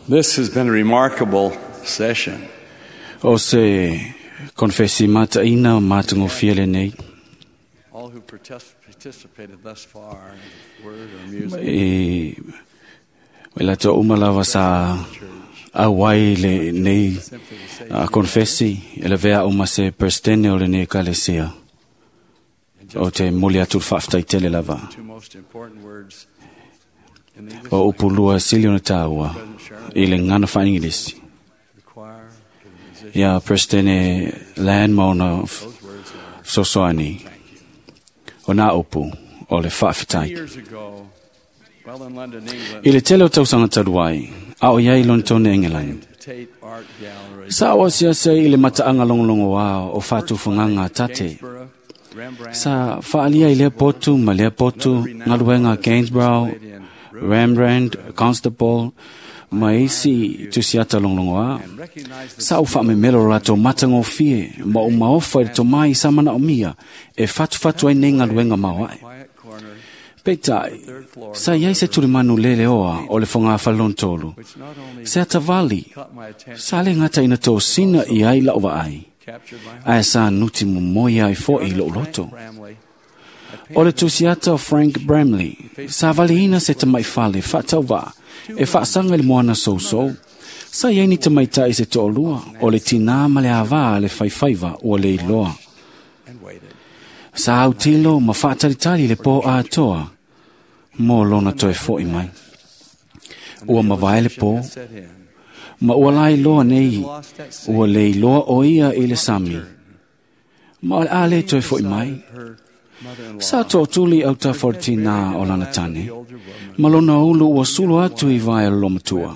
This has been a remarkable session. O se konfesi mataina o matagofie lenei. All who participated thus far in word or music, E o latou uma lava sa auai lenei simply to say konfesi e lavea uma se presidente o lenei ekalesia. and O just te moli atu le faafetaitele lava. the two most important words in the English O upu lua sili ona tāua President Sharon, i le gana faa-English. the choir, to the musicians, Ia Presidente Lan ma ona those words are fesoasoani. thank you. O nā upu o le Many faafetai. years ago, well in London, England, I le tele o tausaga talu ai, a o iai Lonetone Engelani. Tate Art Gallery, Sa o asiasi ai i le mataaga logologoā o faatufagaga a tate. Gainsborough, Rembrandt, Sa faalia i lea potu ma lea potu galuega a Gainsborough, Rembrandt, Constable, ma isi tusiata logologoā. and recognized the Sa o faamemelo o latou matagofie ma o maofa i le tomai sa manaomia e fatufatu ai nei galuega maoae. quiet corner, Peitai, third floor, sa iai se tulimanu leleoa o le fogafale which not only se atavali caught my attention, sa le gata ina tosina i ai la'u vaai captured my heart. ae sa nuti momoe ai fo'i i lo'u loto. Bramley, O le tusiata o Frank Bramley sa valiina se tamaifale faatauvaa e faasaga i le moana sousou. Sa iai ni tamaita'i se to'alua o le tinā ma le avā a le faifaiva ua le iloa. and waited. Sa autilo ma faatalitali le pō atoa mo lona toe fo'i mai. Ua mavae le pō, Set in. ma ua lailoa nei, Lost at sea. ua le iloa o ia i le sami. Ma o le a le toe fo'i mai. Her mother-in-law Sa to'atuli autafa o le tinā o lana tane, the older woman, ma lona ulu ua sulu atu i vae o le lomatua.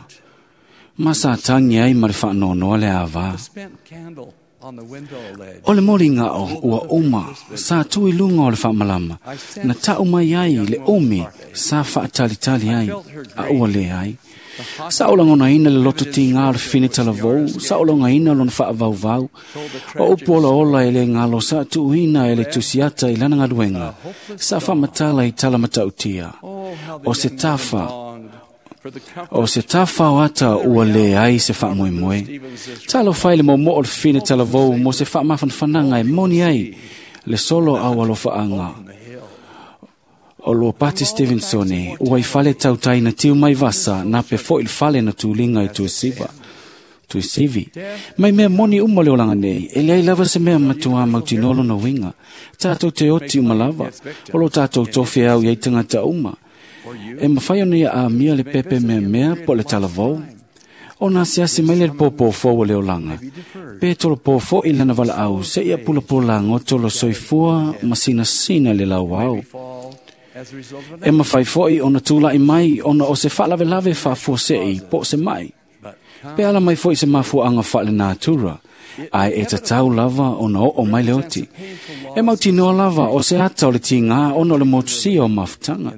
Ma sa tagi ai ma le faanoanoa le avā. the spent candle on the window ledge. O le moliga o ua uma sa tu i luga o le faamalama na ta'u mai ai le umi sa faatalitali ai a ua lē ai. Sa o lagonaina le loto tigā o le fine talavou, sa o logaina lona faavauvau. O upu olaola e le galo sa tuuina e le tusiata i lana galuega, sa faamatala i tala matautia. Oh, how the O se young woman tafa, longed for the comfort o se tafa o ata ua lē ai se faamoemoe. Talofa i le momoo o le fine talavou mo se faamafanafanaga e moni ai le solo au alofaaga on the hill. o Luapati Stevensone ua i fale tautai na tiu mai vasa na pe fo'i le fale na tuliga i Tuasiva. Tuasivi. Mai mea moni uma le olaga nei, e leai lava se mea matuā mautinoa lona uiga. Tātou te oti uma lava, o lo tātou tofe au iai tagata uma. Or you E mawhai ona ia amia le pepe mea mea po le talavou. O nā siasi mai le pōpō fō le olaga. Pe tolo pō fō i lana vala au, se ia pula pula ngoto lo soifua ma sina sina le lau au. fall as a result of an E mawhai fo'i ona tūla'i mai ona o se faalavelave faafuase'i po o se mai. but come Pe ala mai fo'i se mafuaʻaga faalenatura, ae e tatau lava ona oo mai le oti. E mautinoa lava o se ata o le tigā ona o le motusia o mafutaga,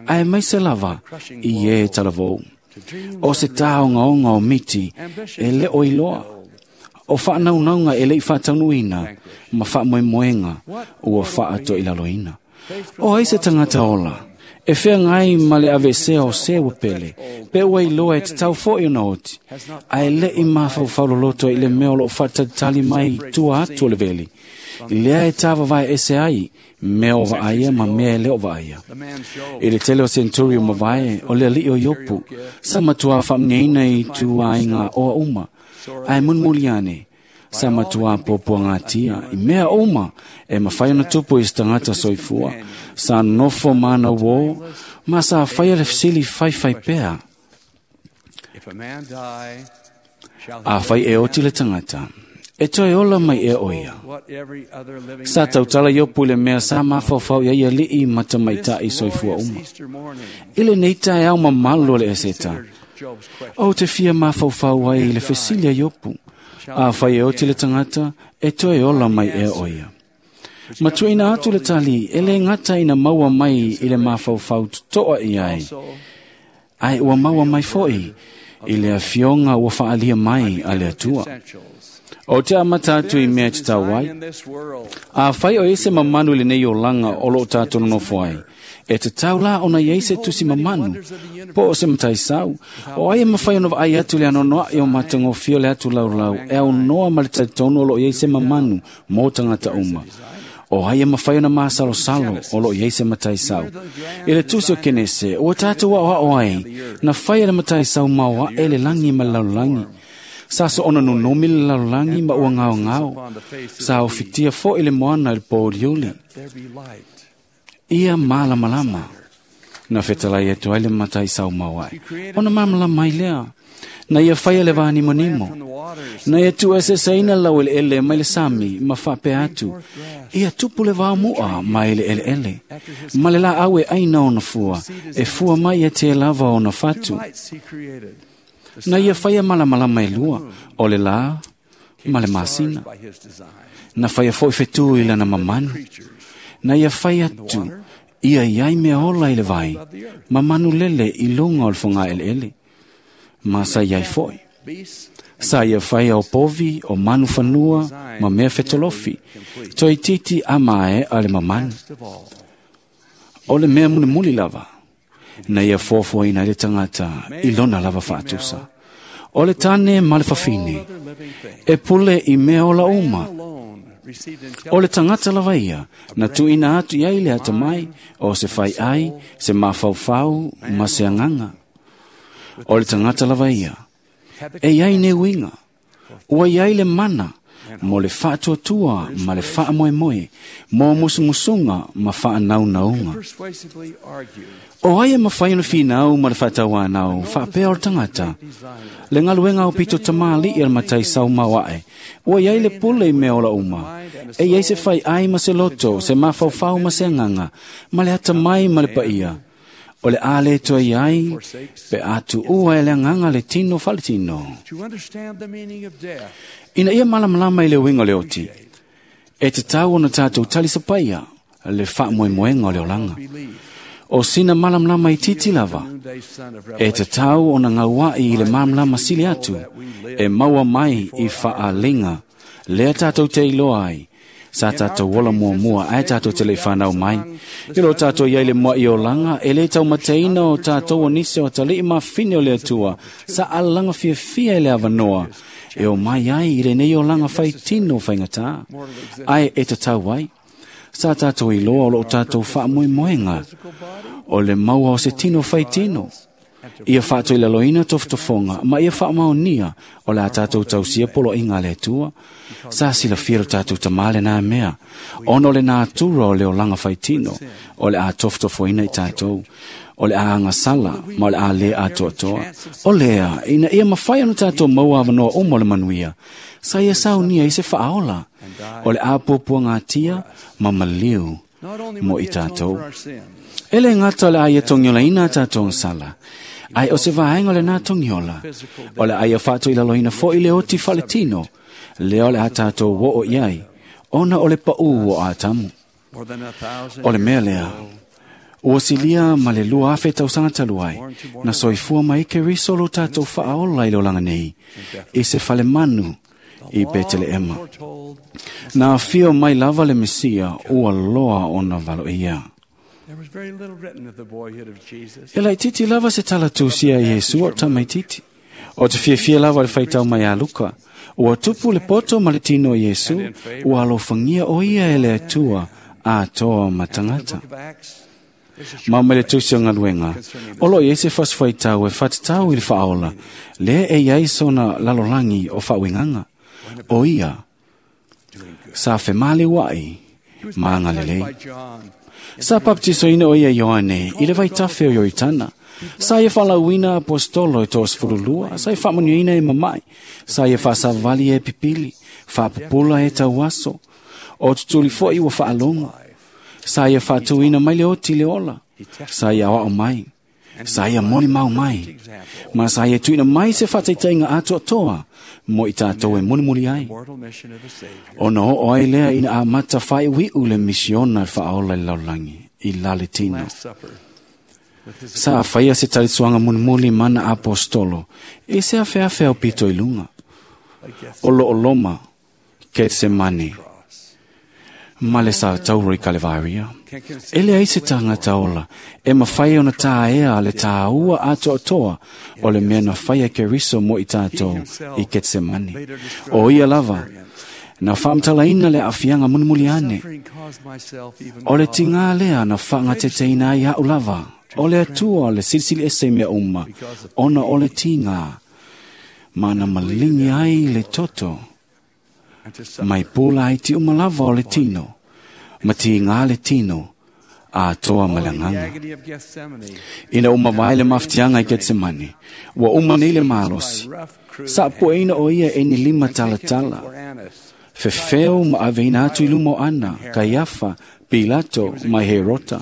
ae maise lava i e talavou. to dream O se tāogaoga o miti e le o iloa. O faanaunauga e leʻi faataunuuina ma faamoemoega ua faatoilaloina. O ai se tagata ola, e feagai ma le avesea o se ua pele, pe ua iloa e tatau fo'i ona oti, ae leʻi mafaufau loloto i le mea o loo faatalitali mai tua atu o le veli. I lea e tāvavae ese ai, mea o vaaia ma mea e le o vaaia. the man Job I le tele o centuri o mavae, o le alii o Iopu, sa matuā faamanuiaina i tuaiga oa uma, ae mulimuli ane, sa matuā puapuagatia, i mea uma e mafai ona tupu i se tagata soifua, sa nofo mana uō, ma sa faia le fesili faifai pea, if a man die shall he a fai e oti le tagata. E toe ola mai e o ia. what every other living Sa man tautala Iopu i le mea sa mafaufau ia ia alii ma tamaitaʻi This soifua glorious uma. Easter morning I lenei taeao mamalu o le eseta, consider Job's question. O te fia mafaufau ai i le fesili a Iopu. A fai e oti le tagata, e toe ola mai e o ia. Matuaina atu le tali, e le gata ina maua mai i le mafaufau totoa i ai. Also, Ai ua maua mai fo'i i le afioga ua faalia mai a le Atua. essentials. O te amata atu i mea te tau ai. In this world, A fai o ese mamanu i lenei olaga o loo tātou nonofo ai. E tatau la ona iai se tusi mamanu, po o se mataisau, o ai e mawhai ona vaai atu le anonoai o matagofie o le atu laulau, e au noa ma le talitonu o lo iai se mamanu mō tagata uma. O ai e mawhai ona masalosalo o lo iai se mataisau. I le tusi o Kenese, ua tātou ao ai, na whai e le mataisau maoa e le langi ma le lalolagi. Sa so ona nunomi le lalolagi ma ua ngao ngao. Sa o fitia fo i le moana i le pōliuli. Ia malamalama. Na fetalai atu ai le mataisau maoae. Ona malamalama ai lea. Na ia whaia le vānimonimo. Na ia tu eseseina lau ele ele mai le sami ma whapea atu. Ia tupu le vāmua mai le ele ele. Ma le la au e aina ona fua. E fua mai e te lava ona fatu. Na ia whaia malamalama e lua. O le la ma le masina. Na whaia foi whetū i lana mamanu. Na ia whaia atu. Ia iai mea ola i le vai. Mamanu lele i lunga o le whanga ele ele. Ma sa iai foi. Sa ia whai o povi, o manu whanua, ma mea whetolofi. Toi titi a mae a le mamanu. O le mea muli muli lava. Na ia fōfō ina le tangata i lona lava whaatusa. O le tane ma le whawhine. E pule i mea ola uma. O le tangata lava ia, na tuina atu iai le atamai, o se whai ai, se mawhauwhau, ma se anganga. O le tangata lava ia, e iai ne uinga, ua iai le mana, mo le whaatuatua ma le whaamoemoe, mo musumusunga ma whaanaunaunga. O ai e mawhai ona whinau ma le whaatauanau, whaapea o le tangata. Le ngaluenga o pito tamali i le matai sau mawae, ua iai le pule i mea ola uma. E iai se whai ai ma se loto, se mawhauwhau ma se anganga, ma le atamai ma le paia. O le ale toa iai, pe atu ua e le anganga le tino whaletino. Ina ia malamalama i le uinga o le oti, e te tau ona tātou talisapaia le whaamoemoenga o le olanga. O sina malamalama i titi lava, e te tau ona ngauai i le malamalama sili atu, e maua mai i whaalinga, lea tātou te iloa ai, sa tātou ola mua mua, ai tātou te le whanau mai. I lo tātou iai le mua i olanga, e le tau mateina o tātou o nise o talii mawhine o le atua, sa alanga fia fia e le awanoa, e o mai ai i le nei olanga whai tino whaingatā. Ai e te tau ai, sa tātou iloa o lo tātou whaamoemoenga, o le maua o se tino whai tino. Ia whātou i laloina tofotofonga, ma ia whaamaonia o la tātou tausia polo inga le atua. Sa sila firo tātou tamale nā mea, ono le nā tura o le olanga whaitino, o le a tofotofoina i tātou, o le a angasala, ma o le a le atoatoa. O lea, ina ia mawhai ano tātou maua awanoa o mo le manuia, sa ia saunia i se whaaola, o le a pōpua ngā tia, ma maliu mo i tātou. Ele ngata le aia tongiola ina tātou sala. Ai o se vaenga le nā tongiola. O le aia whātou i laloina fo i le oti whaletino. Le o le a tātou wo o iai. Ona o le pau o ātamu. O le mea lea. Ua silia ma le lua afe tausanga taluai. Na soifua mai ke riso lo tātou whaaola i le olanga nei. I se whale manu i Beteleema. Na whio mai lava le Mesia ua loa ona valo ia. E lai titi lava se talatusia i Yesu o tamaititi. O te fiafia lava le whaitau mai a Luka. Ua tupu le poto ma le tino i Yesu, ua alofangia o ia e le atua a toa matangata. Ma me le tusi o ngaluenga, o lo i ese whaswhaitau e whatatau i le whaola, le e iai sona lalolangi o whawinganga. O ia, sa whemale wai, maanga lelei. Sa baptisoina o ia Ioane, i le vaitafe o Ioritana. Sa ia whalauina apostolo e tōs furulua, sa ia whaamanuina e mamai, sa ia whaasavali e pipili, whaapupula e tauaso, o tutuli foi ua whaalongo. Sa ia whaatuina mai le oti le ola, sa ia wao mai, sa ia moni mau mai, ma sa ia tuina mai se whataitainga atoa toa, mo i tātou e mulimuli ai. Ona o ai lea ina a mata whai wiu le misiona whaola i laulangi, i laletino. Sa a whaia se talisuanga mulimuli mana apostolo, e se a whea o pito i lunga. O lo o loma, Ketsemane. Ma le sa tauro i Kalevaria. E leai se tagata ola e mafai ona tāea le tāua atoatoa o le mea na faia Keriso mo i tātou i Ketsemane. O ia lava, na faamatalaina le aafiaga mulimuli ane. O le tigā lea na faagateteina ai a'u lava, o le Atua le silisili ese i mea uma, ona o le tigā, ma na maligi ai le toto, mai pula ai ti uma lava o le tino, ma tigā le tino, atoa ma le agaga. Ina ua mavae le mafatiaga i Ketsemane, ua uma nei le malosi, saapueina o ia e ni lima talatala, fefeo ma aveina atu i luma o Ana, Kaiafa, Pilato ma Herota.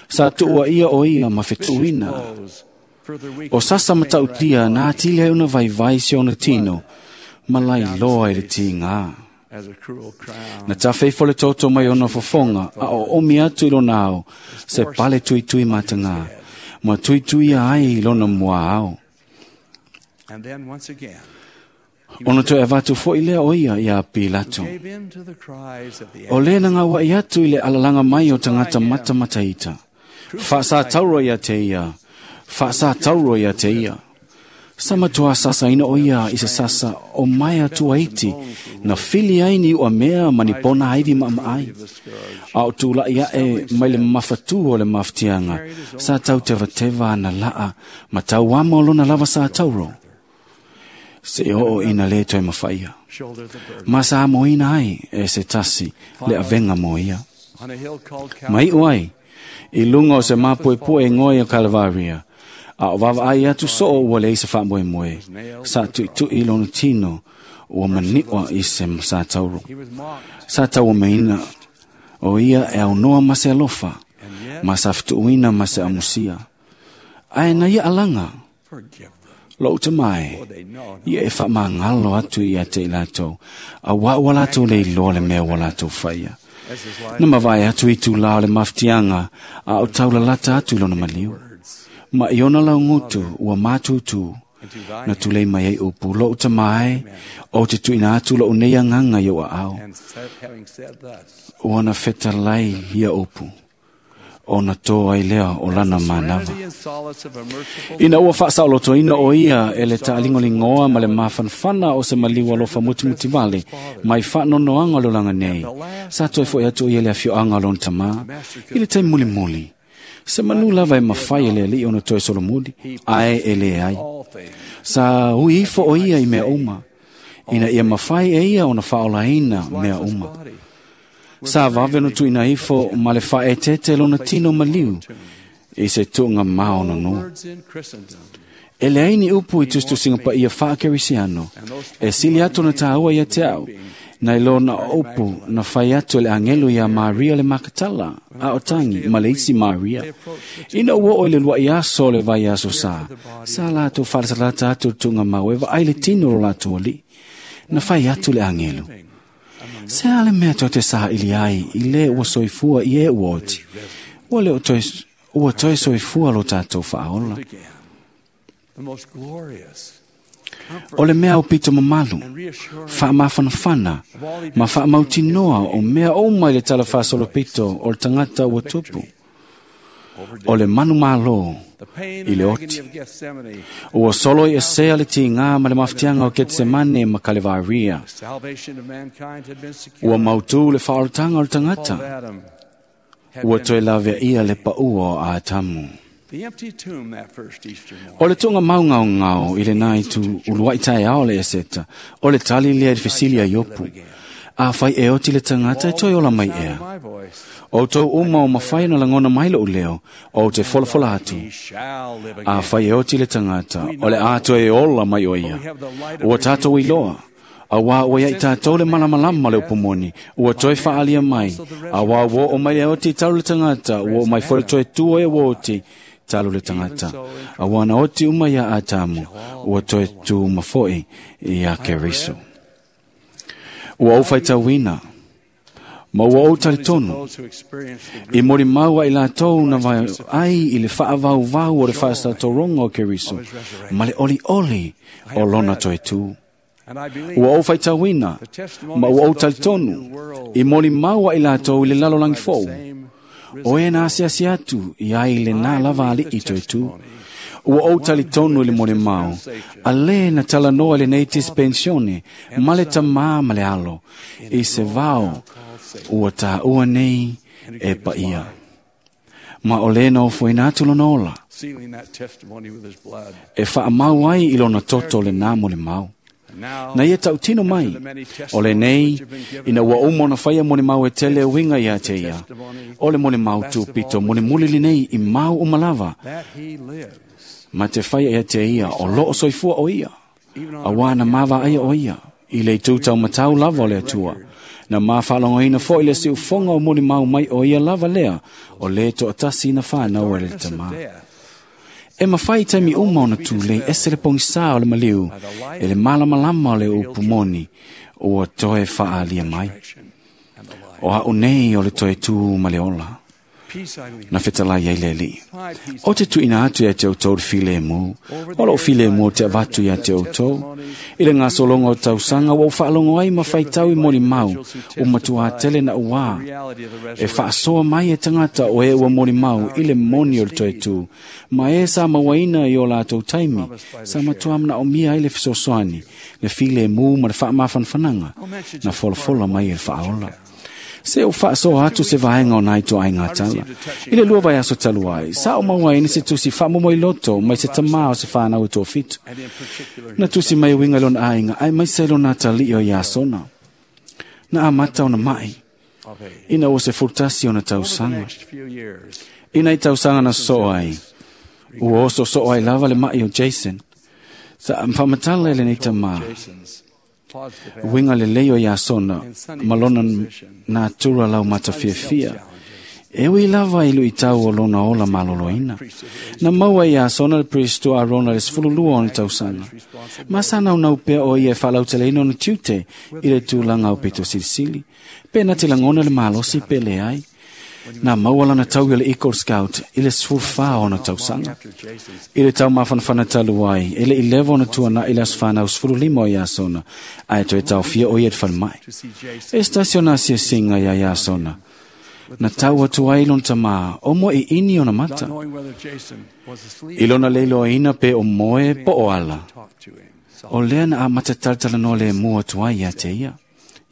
Sa tuua ia o ia ma fetuuina. O sasa matautia na atili ai ona vaivai se ona tino, ma lailoa i le tigā. Na tafe ifo le toto mai ona fofoga, a o omi atu i lona ao, se pale tuitui matagā, ma tuituia ai i lona muaao. Ona toe avatu fo'i lea o ia iā Pilato. O lē na gaua'i atu i le alalaga mai o tagata matamataita. Faasātauro ia te ia, faasātauro ia te ia. Sa matuā sasaina o ia i se sasa o mai atua iti, na fili ai ni ua mea ma ni pona aivi maamaai. A o tula'i a'e mai le mafatū o le mafatiaga, sa tau tevateva ana la'a, ma tauama o lona lava sātauro. Se oo ina lē toe mafaia. Ma sa amoina ai e se tasi le avega mo ia. Ma iʻu ai, i luga o se mapuepue e goe o Kalevaria, a o vaavaai atu soo ua leai se faamoemoe, sa tuʻituʻi lona tino ua maniʻoa i se satauro. Sa tauameina o ia e aunoa ma se alofa, ma sa fetuʻuina ma se amusia. Ae na ia alaga, lou tamae, ia e faamagalo atu ia te i latou, auā ua latou le iloa le mea ua latou faia. Na mavae atu i tulā o le mafatiaga, a o taulalata atu i lona maliu. Ma i ona laugutu ua mātūtū, na tulei mai ai upu, lou tamae, o te tuuina atu lou nei agaga i ou aao. Ua na fetalai ia upu, ona tō ai lea o lana manava. Ina ua faasaolotoina o ia e le taaligoligoa ma le mafanafana o se maliu alofa mutimutivale mai faanonoaga o le olaga nei, sa toe foʻi atu o ia le afioaga o lona tamā i le taimi mulimuli. Se manu lava e mafai e le alii ona toe solomuli, ae e lē ai. Sa ui ifo o ia i mea uma, ina ia mafai e ia ona faaolaina mea uma. Sa vave ona tuuina ifo ma le faaeteete lona tino maliu i se tuuga maononoa. E leai ni upu i tusitusiga paia faakerisiano, e sili atu ona tāua ia te au, nai lona upu na fai atu e le agelu iā Maria le Makatala, a o tagi ma le isi Maria. Ina ua oo i le luaʻi aso o le vaiaso sa, sa latou faalatalata atu le tuugamau e vaai le tino o lo latou alii. Na fai atu le agelu. Se a le mea tou te saʻili ai i lē ua soifua i e ua oti, ua le o toe, ua toe soifua lo tatou faaola. O le mea aupito mamalu, faamafanafana, ma faamautinoa o mea uma i le tala faasolopito o le tagata ua tupu. O le manumālō i le oti. Ua solo i esea le tigā ma le mafatiaga o Ketsemane ma Kalevaria. Ua mautū le faaolataga o le tagata. Ua toe laveaia le paʻua o Atamu. O le tuuga maugaogao i lenā itu uluaʻi taeao le Eseta, o le tali lea i le fesili a Iopu. Afai e oti le tagata e toe ola mai ea. Outou uma o mafai ona lagona mai loʻu leo, ou te folafola atu. Afai e oti le tagata, o le a toe ola mai o ia. Ua tatou iloa, auā ua ia i tatou le malamalama o le upu moni, ua toe faaalia mai, auā ua oo mai le oti talu le tagata, ua oo mai foi le toe tua e ua oti talu le tagata. Auā na oti uma iā Atamu, ua toe tu uma foʻi iā Keriso. Ua ou faitauina, ma ua ou talitonu, i molimau ai latou na ai i le faavauvau o le faasatoroga o Keriso, ma le olioli o lona toe tū. Ua ou faitauina ma ua ou talitonu i molimau a i latou i le lalolagi fou. O e na asiasi atu i ai le nā lava ali'i toe tū. Ua ou talitonu i le molimau, a lē na talanoa i lenei dispensione ma le tamā ma le alo, i se vao ua tāua nei e paia. Ma o lē na ofoina atu lona ola, e whaamau ai i lona toto le nā molimau. Na ia tautino mai, o lenei, ina ua uma ona whaia molimau e tele uinga ia te ia, o le molimau tūpito mulimuli lenei i mau umalava, ma te whaia ia te ia o loo soifua o ia, a wā na mawa aia o ia, i le tūtau matau lava o le atua, na mā whalongoina fo i le si ufonga o molimau mai o ia lava lea, o le toatasi na whanau e le tamā. E mawhai taimi uma ona tūlei ese le pongisa o le maliu, e le malamalama o le upumoni, ua toe whaalia mai. O hau nei o le toe tū ma le ola. Na fetalai ai le li. O te tuina atu ia te outou le filemu, o loo filemu o te avatu ia te outou. I le ngasologa o tausaga ua ou faalogo ai ma faitau i molimau, o matuā tele na uā. E faasoa mai e tagata o e ua molimau i le moni o le toe tū, ma e sa mauaina i o latou taimi, sa matuā manaomia ai le fesoasoani, le filemu ma le faamafanafanaga, na folafola mai e le faaola. Se o faasoa atu se vaega o nai toaiga tala. I le lua vaiaso talu ai, sa o mauaina se tusi faamomoiloto mai se tamā o se whanau e toafitu. Na tusi mai uiga i lona aiga, ae maise i lona atalii o Iasona. Na amata ona mai, ina ua 11 ona tausaga. Ina i tausaga na sosoo ai, ua oso ai lava le mai o Jason. Sa whaamatala e lenei tamā, uiga lelei o Iasona ma lona natura lau matafiafia. E ui lava i luitau o lona ola maloloina. Na maua i Iasona le Pristo Arona le 12 ona tausaga. Ma sa naunau pea o ia e faalauteleina ona tiute i le tulaga o pito silisili. Pe na te lagona le malosi pe leai. Na maua lana tau i le Eagle Scout i le 14 ona tausaga. I le tau mafanafana talu ai, e le 11 ona tuana i le aso whanau 15 o Iasona, ae toe taofia o ia te falemai. E se tasi ona asiasiga ia Iasona. Na tau atu ai lona tamā, o moe i ini ona mata. I lona leiloaina pe o moe po o ala. O lea na amata talatalanoa le mua atu ai ia te ia.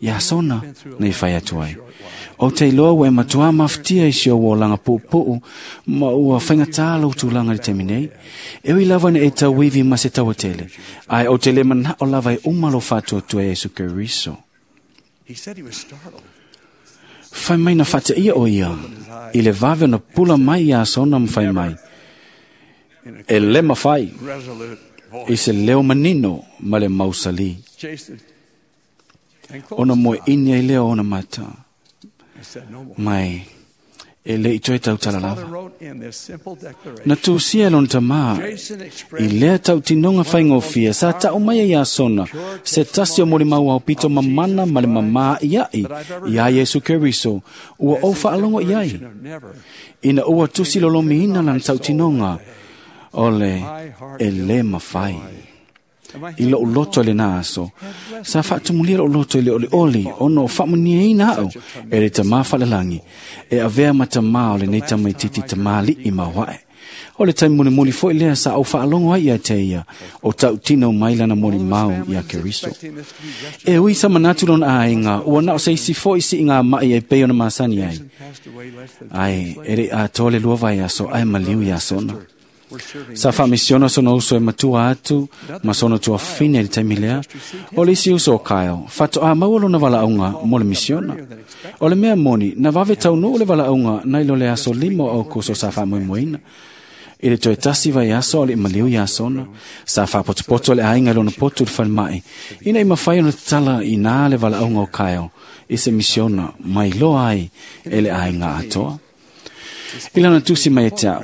Iasona na i whai atu ai. O te iloa ua e matuā mafutia i si o olaga puupuu ma ua whaingatā lau tulaga i le taimi nei. E ui lava na e tauivi ma se tauatele, ae o te le manao lava e uma lo faatuatua e Iesu Keriso. Whai mai na whateia o ia, i le vave ona pula mai Iasona ma whai mai. E le mawhai, i se leo manino ma le mausali. Ona moe ini ai leo ona mata. Mai, e le i toe tautala lava. Na tūsia e lona tamā, i lea tautinoga faigofie, sa ta'u mai e Iasona, se tasi o molimau aupito mamana ma le mamā ia'i, iā Iesu Keriso, ua ou faalogo i ai. Ina ua tusi lolomiina lana tautinoga, o le e lē mafai. I lou loto i lena aso, sa faatumulia lou loto i le olioli, ona o faamuniaina au e le tamā faalelagi, e avea ma tamā o lenei tamaititi tamāli'i mauae. O le taimi mulimuli foi lea sa ou faalogo ai ia te ia, o tautino mai lana molimau ia Keriso. E ui sa manatu lona aiga, ua na o se isi foi siiga mai e pei ona masani ai. Ai, e le atoa le lua vaiaso, ae maliu Iasona. Sa faamisiona sona uso e matua atu, ma sona tuafine i le taimi lea. O le isi uso o Kyle, faatoā maua lona valaauga mo le misiona. O le mea moni, na vave taunuu le valaauga nai lo le aso 5 o Aukuso sa faamoemoeina. I le toe tasi vaiaso o le maliu Iasona, sa faapotopoto le aiga i lona potu i le falemai, ina i mafai ona tatala i nā le valaauga o Kyle i se misiona mai loa ai e le aiga atoa. I lana tusi mai e te au,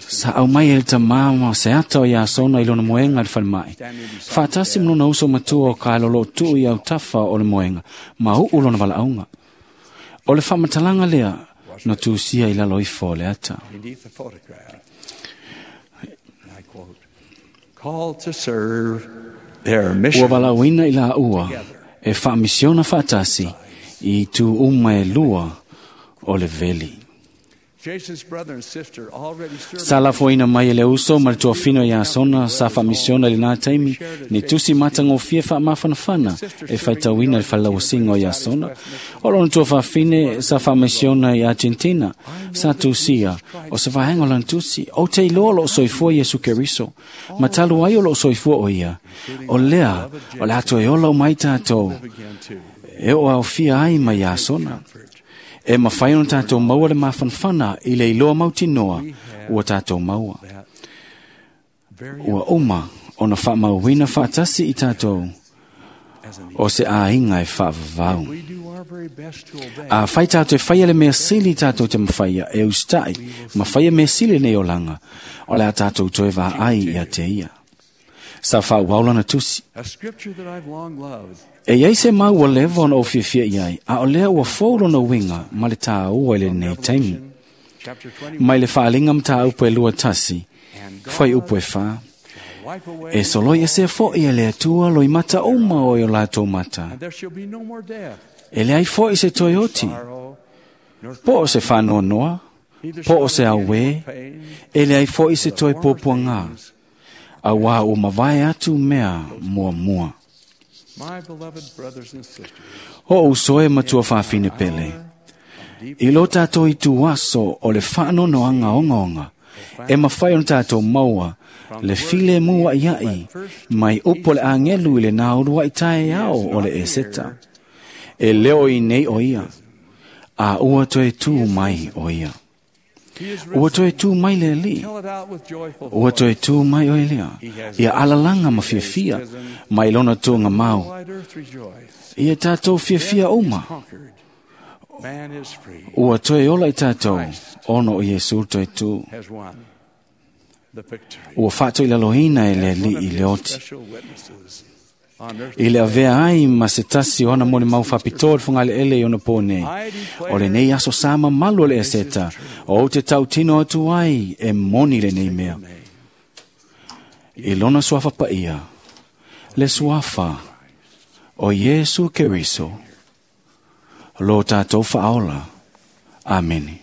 sa au mai e le tamā ma se ata o Iasona i lona moega i le falemai. Faatasi ma lona uso matua o Kyle o loo tuu i autafa o le moega, ma uu lona valaauga. O le faamatalaga lea na tusia i lalo ifo o le ata. Called to serve Ua valauina i la ua e whaamisiona whaatasi i tu uma e lua o le veli. Sa lafoina mai e le uso ma le tuafino i Asona sa whaamisiona i lena taimi ni tusi matagofie faamafanafana e faitauina le falelauasiga o Iasona. O lona tuafafine sa faamisiona i Argentina sa tusia o se vaega o lana tusi. Ou te iloa o loo soifua Iesu Keriso ma talu ai o loo soifua o ia. O lea o le a toe ola uma ai tatou e oo aofia ai ma Iasona. E mawhai ona tātou maua le mafanafana i le iloa mautinoa ua tātou maua. Ua uma ona whaamauina whaatasi i tātou o se āinga e whaavavau. A whai tātou e whaia le mea sili tātou te mawhaia e ustai, mawhaia mea sili nei olanga, o le a tātou toe vā ai ia te ia. Sa whaauaulana tusi. E iai se mau ua leva ona o fiafia iai, a o lea ua fou lona uiga ma le tāua i lenei taimi. Mai le faaaliga mataupu e 21, fuaiupu e 4. E soloi esea fo'i e le Atua loimata uma o i o latou mata. E leai fo'i se toe oti, po o se faanoanoa, po o se auē, e leai fo'i se toe puapuagā, auā ua mavae atu mea muamua. O uso e matua whawhine pele, i lo tātou i tuaso o le whaanonoanga ongaonga, e mawhai ona tātou maua, le file mua iai, mai upo le angelu i le nāurua i tae ao o le eseta. E leo i nei o ia, a ua toe tū mai o ia. Ua toe tū mai le ali. Ua toe tū mai o Elia. Ia alalanga ma fiafia, mai lona tūnga mau. Ia tātou fiafia uma. Ua toe ola i tātou, ono o Iesu toe tū. Ua whāto i lalohina e le ali i le oti. I le avea ai ma se tasi o ana moni mau whapitoa le whangale ele i ona pō nei. O le nei aso sa mamalu o le eseta, o te tautino atu ai e moni le nei mea. I lona suafa paia, le suafa o Iesu Keriso, lo tātou whaola. Amene.